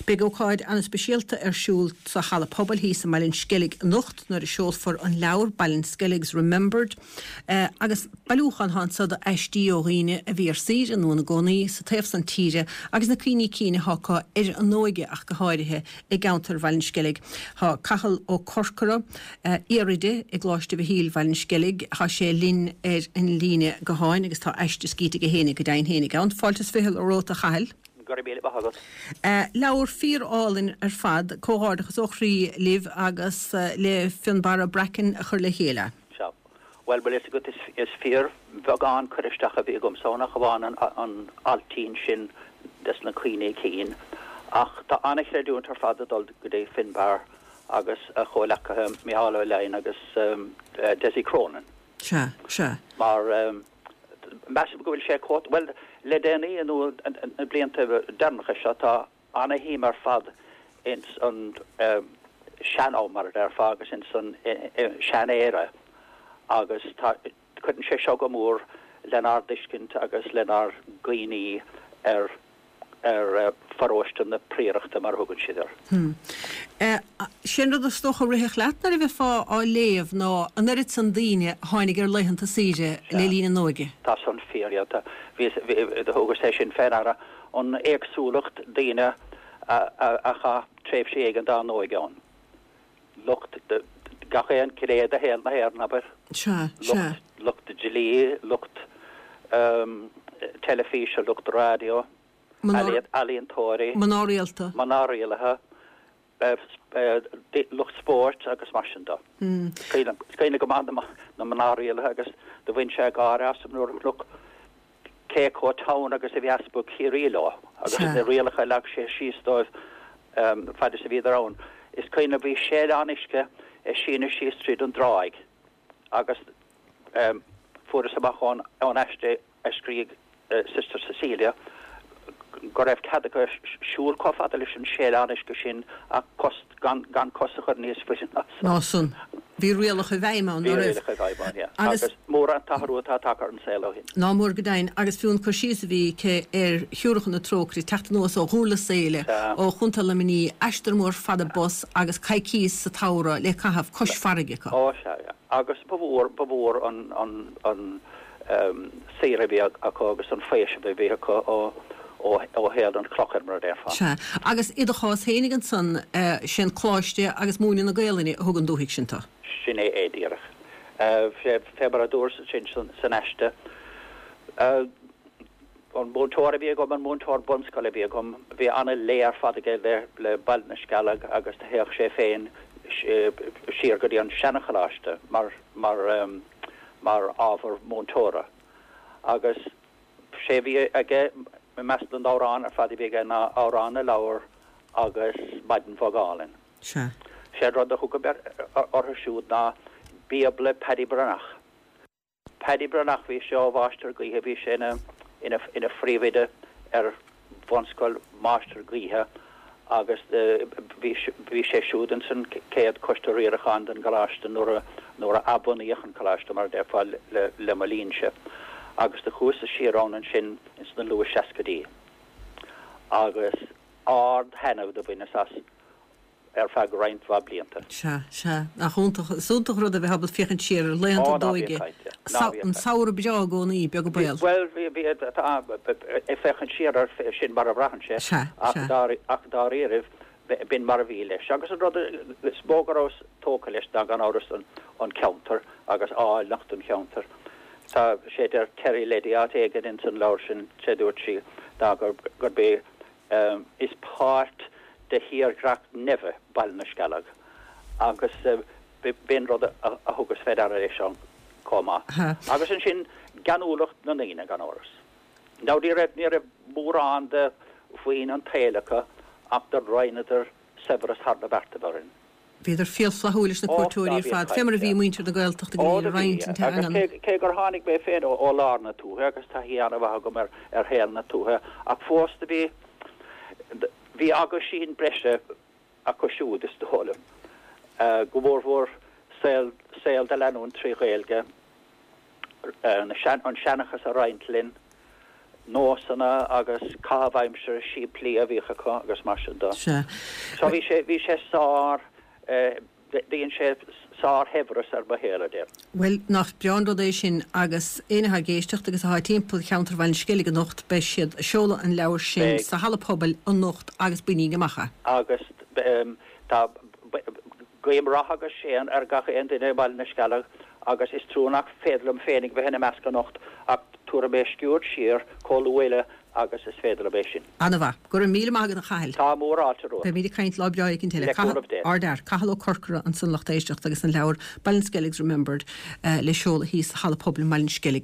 Beidh ócáid an-speisialta ar siúl sa Halla Pobail thíos i mBaile an Sceilg anocht nuair a seolfar an leabhar Ballinskelligs Remembered agus bailiúchán atá anso d'aistí ó dhaoine a bhí ar saoire nó ina gcónaí sa taobh san tíre agus na cuimhní cinn atá acu ar a n-óige ach go háirithe i gceantar Bhaile an Sceilg. Tá Cathal Ó Corcora, iar-oide i gColáiste Mhichíl Bhaile an Sceilg, tá sé linn ar an líne gutháin agus tá aiste scríte aige fhéinig go deimhin fhéinig ann. Fáilte is ficheall romhat a Chathail. Go raibh míle maith agat. Leabhar fíor-álainn ar fad. Comhghairdeachas ó chroí libh agus le Fionnbarra Bracken a chur le chéile. Sea. Bhuel, bhfuil fhios agat, is fíor bheagán cur isteach a bhí agamsa ann ach amháin an ailtín sin des na cuimhní cinn. Ach tá an-chreidiúint ar fad ag dul go dtí Finbarr agus a chomhleacaithe Micheál Ó Leidhin agus Dessie Cronin. Sea, sea. Mar measaim go bhfuil sé chomh, bhuel, le déanaí nó na blianta deireanacha seo tá ana-shuim ar fad ins an sean-am, mar a déarfá, agus ins an sean-Éire agus tá, cuireann sé seo go mór lenár dtuiscint agus lenár gcuimhní ar ar pharóiste na Priarachta, mar a thugann siad air. Sé an rud is dócha a rithfeadh leat nuair a bheifeá á léamh ná an oiread san daoine a tháinig ar laethanta saoire le linn a n-óige. Tá san fíor, yeah. Tá, bhíos, thugas é sin fé ndeara, an éagsúlacht daoine a chaith tréimhsí éigin dá n-óige ann. Lucht, gach aon ghné de shaol na hÉireann, abair. Sea, sea. Lucht, lucht dlí, lucht teilifíse, lucht raidió, ealaíontóirí. Mná rialta. Mná rialta, lucht spóirt agus mar sin de. Is cuimhin go maith na mná rialta agus do bhain sé gáire asam nuair a chonac cé chomh teann agus a bhí Easpag Chiarraí leo agus na rialacha a leag sé síos dóibh fad is a bhíodar ann. Is cuimhin liom bhí séileán uisce ag síneadh síos tríd an dtráigh agus fuaireas amach ón aiste a scrígh Sister Cecilia go raibh cead acu siúl chomh fada leis an séileán uisce sin ach cos, gan cos a chur níos faide ná san. Ná san. Bhí rialacha i bhfeidhm ann, ná raibh? Bhí rialacha i bhfeidhm ann, yeah. Agus mór an t-athrú atá tagtha ar an saol ó shin. Ná mór go deimhin. Agus fiú an cur síos a bhí aici ar Shiúracha na Trócaire ag teacht anuas ó Dhurlas Éile, ó Chontae Luimnigh, aistear mór fada bus agus coicíos sa tsamhradh le caitheamh cois farraige acu. Ó sea, yeah. Agus ba mhór, ba mhór an, an, an saoire a bhí acu agus an faoiseamh a bhí acu ó, ó, ó shaol an chlochair, mar a déarfá. Sea. Agus i do chás fhéinig ansan, sé an coláiste agus múineadh na Gaelainne a thug an dúthaigh sin tú. Sin é é díreach. Fé mar a dúras ansin san aiste, an múinteoir a bhí agam, an múinteoir bunscoile a bhí agam, bhí ana-lé ar fad aige le Baile na Scealg agus do théadh sé féin siar go dtí an seana-choláiste mar, mar, mar ábhar múinteora. Agus sé a bhí aige i measc na n-amhrán ar fad a bhí aige ná Amhrán na Leabhar agus Maidin Bhog Álainn. Sea. Sé an rud a thugaim orthu siúd ná Bíobla Paddy Breathnach. Paddy Breathnach, bhí sé ó Mháistir Gaoithe, bhí sé ina, ina, ina phríomhoide ar bhunscoil Mháistir Gaoithe agus bhí, bhí sé siúd ins an chéad choiste riaracháin den gcoláiste nuair a, nuair a athbhunaíodh an coláiste mar a déarfá le, le mo linnse. Agus do chuas-sa siar ann ansin ins na luath seascaidí agus ard-thaitneamh do bhaineas as ar feadh roinnt mhaith blianta. Sea, sea. Nach iontach, is iontach an rud a bheith ábalta féachaint siar ar laethanta Ó, ná d'óige. bíodh caint, ná bíodh An caint. samhradh breá i gcónaí, beag an baol. Bhuel, bhí, bhí, tá, ag féachaint siar air, sin mar a bhraitheann sé, Sea, ach sea. dár, ach dáiríribh, b'in mar a bhí leis. Agus an rud is mó go rabhas tógtha leis ná gan amhras an, an ceantar agus áilleacht an cheantair. Tá sé deir Terry Leddy áit éigin ins an leabhar sin, sé dúirt sí, ná gur, gurb é Is páirt de thírdhreach neimhe Baile na Scealg agus b'in rud a thugas fé deara leis ann chomh maith. Agus ansin geanúlacht na ndaoine, gan amhras. Now ní raibh, ní raibh mórán de mhaoin an tsaoil acu ach do roinneadar saibhreas thar na beartaibh orainn. Bhíodar fial flaithiúil leis na cuairteoirí ar fad, fé mar a bhí muintir na Gaeltachta go léir ag roinnt an teangan. Agus cé gur tháinig mé féin ó lár na tuaithe agus taithí an-mhaith agam ar shaol na tuaithe, ach fós do bhí, bhí aguisín breise acu siúd, is dóigh liom, go mórmhór saol, saol do leanúint trí Ghaeilge, an seanchas a roinnt linn. nósanna agus caitheamh aimsire simplí a bhíodh acu agus mar sin de. Sea. So bhí sé, bhí sé sár, dhein sé sárshaibhreas ar mo shaol, a déarfainn. Bhuel, nach breá an rud é sin agus éinne atá ag éisteacht agus atá timpeall cheantar Bhaile an Sceilg anocht, beidh siad ag seoladh an leabhair sin sa Halla Pobail anocht agus bainigí amach é. Agus tá, guím rath agus séan ar gach aon duine i mBaile na Scealg agus is trua nach féidir liom féinig bheith ina measc anocht ach tabharfaidh mé sciuird siar chomh luath agus is féidir liom é sin. Ana-mhaith. Go raibh míle maith agat a Chathail. Tá mórfháilte romhat. Beimid ag caint lá breá éicint eile. Le cúnamh Dé. Ardfhear. Cathal Ó Corcora ansan lucht éisteachta agus an leabhar Ballinskelligs Remembered le seoladh thíos sa Halla Pobail i mBaile an Sceilg.